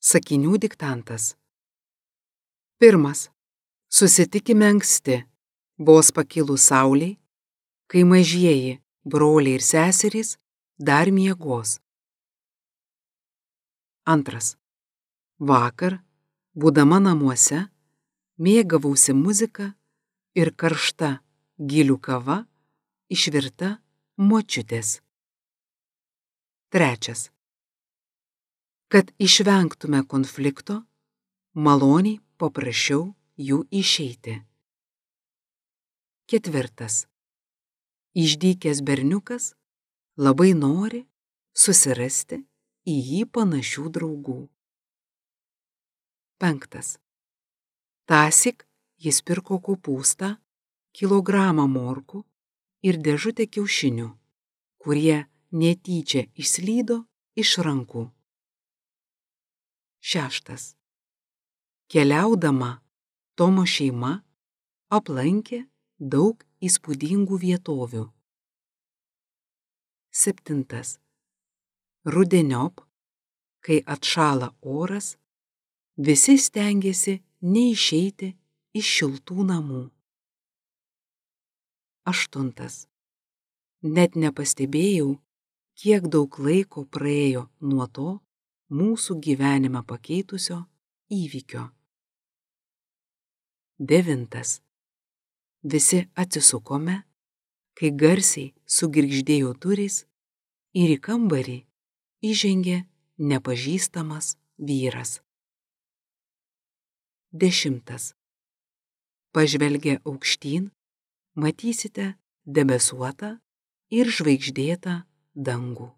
Sakinių diktantas. 1. Susitikime anksti, vos pakilus saulei, kai mažieji broliai ir seserys dar miegos. 2. Vakar, būdama namuose, mėgavausi muzika ir karšta gilių kava išvirta močiutės. 3. Kad išvengtume konflikto, maloniai paprašiau jų išeiti. 4. Išdykęs berniukas labai nori susirasti į jį panašių draugų. 5. Tąsyk jis pirko kopūstą, kilogramą morkų ir dėžutę kiaušinių, kurie netyčia išslydo iš rankų. 6. Keliaudama, Tomo šeima aplankė daug įspūdingų vietovių. 7. Rudeniop, kai atšąla oras, visi stengiasi neišeiti iš šiltų namų. 8. Net nepastebėjau, kiek daug laiko praėjo nuo to mūsų gyvenimą pakeitusio įvykio. 9. Visi atsisukome, kai garsiai sugirgždėjo durys ir į kambarį įžengė nepažįstamas vyras. 10. Pažvelgę aukštyn, matysite debesuotą ir žvaigždėtą dangų.